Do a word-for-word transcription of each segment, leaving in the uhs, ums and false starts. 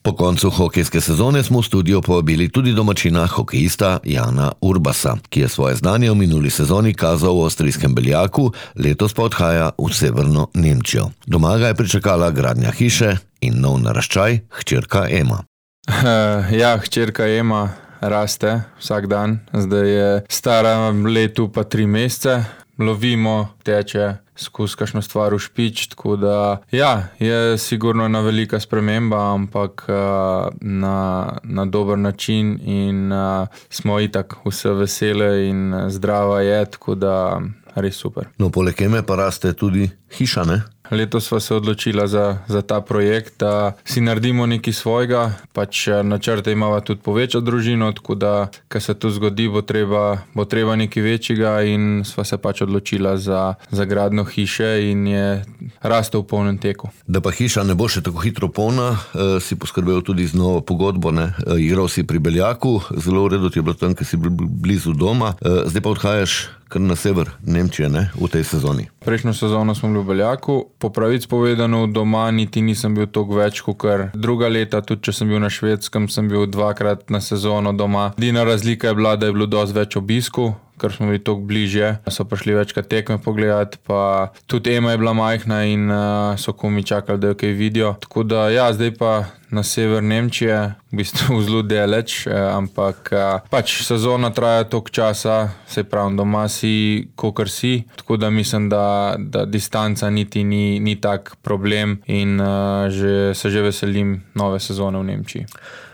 Po koncu hokejske sezone smo v studio povabili tudi domačina hokejista Jana Urbasa, ki je svoje znanje v minuli sezoni kazal v avstrijskem Beljaku, letos pa odhaja v severno Nemčijo. Doma ga je pričakala gradnja hiše in nov naraščaj, hčerka Ema. Ja, hčerka Ema raste vsak dan, zdaj je stara letu pa tri mesece, lovimo, teče skozi kakšno stvar v špič, tako da ja, je sigurno ena velika sprememba, ampak na, na dober način in smo itak vse vesele in zdrava je, tako da res super. No, poleg Eme pa raste tudi hiša, ne? Letos sva se odločila za, za ta projekt, da si naredimo nekaj svojega, pač načrte imava tudi povečati družino, tako da, ko se to zgodi, bo treba, bo treba nekaj večjega in sva se pač odločila za, za gradnjo hiše in je rastel v polnem teku. Da pa hiša ne bo še tako hitro polna, eh, si poskrbel tudi z novo pogodbo, ne? Eh, igral si pri Beljaku, zelo v redu ti je bilo tam, ker si bil blizu doma, eh, zdaj pa odhajaš kar na sever Nemčije, ne, v tej sezoni. Prejšnjo sezono smo bili v Beljaku, po pravic povedano doma niti nisem bil toliko več, kot druga leta, tudi če sem bil na Švedskem, sem bil dvakrat na sezono doma. Edina razlika je bila, da je bilo dosti več obisku, ker smo bili toliko bližje, so prišli večkrat tekme pogledati, pa tudi Ema je bila majhna in uh, so komi čakali, da jo kaj vidijo. Tako da ja, zdaj pa na sever Nemčije, v bistvu zelo daleč, eh, ampak eh, pač sezona traja toliko časa, se pravim, doma si, kakor si, tako da mislim, da, da distanca niti ni, ni tak problem in uh, že, se že veselim nove sezone v Nemčiji.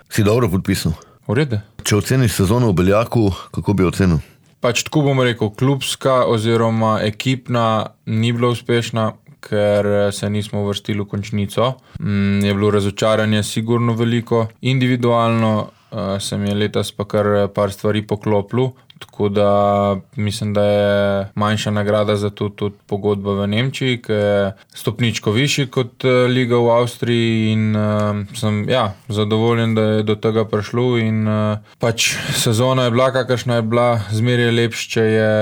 Si dobro podpisal? V redu. Če oceniš sezono v Beljaku, kako bi ocenil? Pač tako bom rekel, klubska oziroma ekipna ni bila uspešna, ker se nismo uvrstili v končnico. Mm, je bilo razočaranje sigurno veliko. Individualno uh, se mi je letos pa kar par stvari poklopilo, tako da mislim, da je manjša nagrada za to tudi pogodba v Nemčiji, ki je stopničko višji kot liga v Avstriji in uh, sem ja, zadovoljen, da je do tega prišlo in uh, pač sezona je bila, kakršna je bila, zmeraj je lepš, če je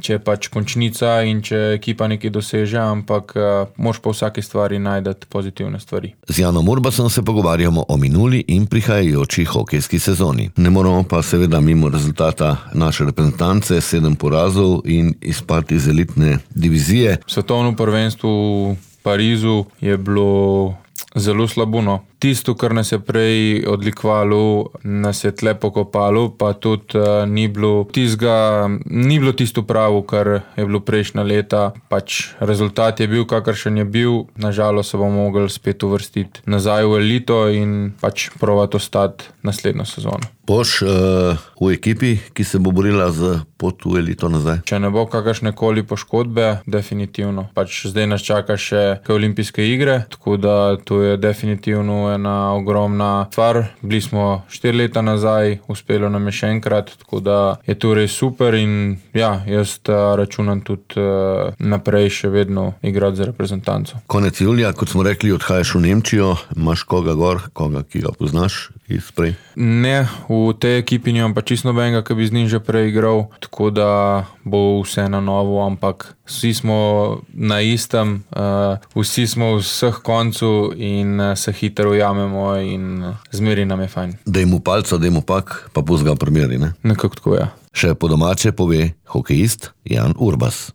če je pač končnica in če ekipa nekaj doseže, ampak uh, moš pa v vsaki stvari najdeti pozitivne stvari. Z Janom Urbasom se pogovarjamo o minuli in prihajajoči hokejski sezoni. Ne moramo pa seveda mimo rezultata naše reprezentance, sedem porazov in izpad iz elitne divizije. Svetovno prvenstvo v Parizu je bilo zelo slabo, no. Tisto, kar nas je prej odlikovalo, nas je tle pokopalo, pa tudi uh, ni bilo tistega, ni bilo tisto pravo, kar je bilo prejšnja leta. Pač rezultat je bil, kakršen je bil, nažalost se bomo mogli spet uvrstiti nazaj v elito in pač provati ostati naslednjo sezono. Boš uh, v ekipi, ki se bo borila za pot v elito nazaj? Če ne bo kakršne koli poškodbe, definitivno. Pač zdaj nas čaka še olimpijske igre, tako da to je definitivno ena ogromna stvar. Bili smo štiri leta nazaj, uspelo nam je še enkrat, tako da je to res super in ja, jaz računam tudi uh, naprej še vedno igrati za reprezentanco. Konec julija, kot smo rekli, odhajaš v Nemčijo, imaš koga gor, koga, ki ga poznaš iz prej? Ne, v tej ekipi nimam pa čisto nobenega, ki bi z njim že prej igral, tako da bo vse na novo, ampak vsi smo na istem, uh, vsi smo v vseh koncu in uh, se hitro ujamemo in uh, zmeri nam je fajn. Daj mu palca, daj mu pak, pa puzga primeri, ne? Nekako tako, ja. Še po domače pove hokejist Jan Urbas.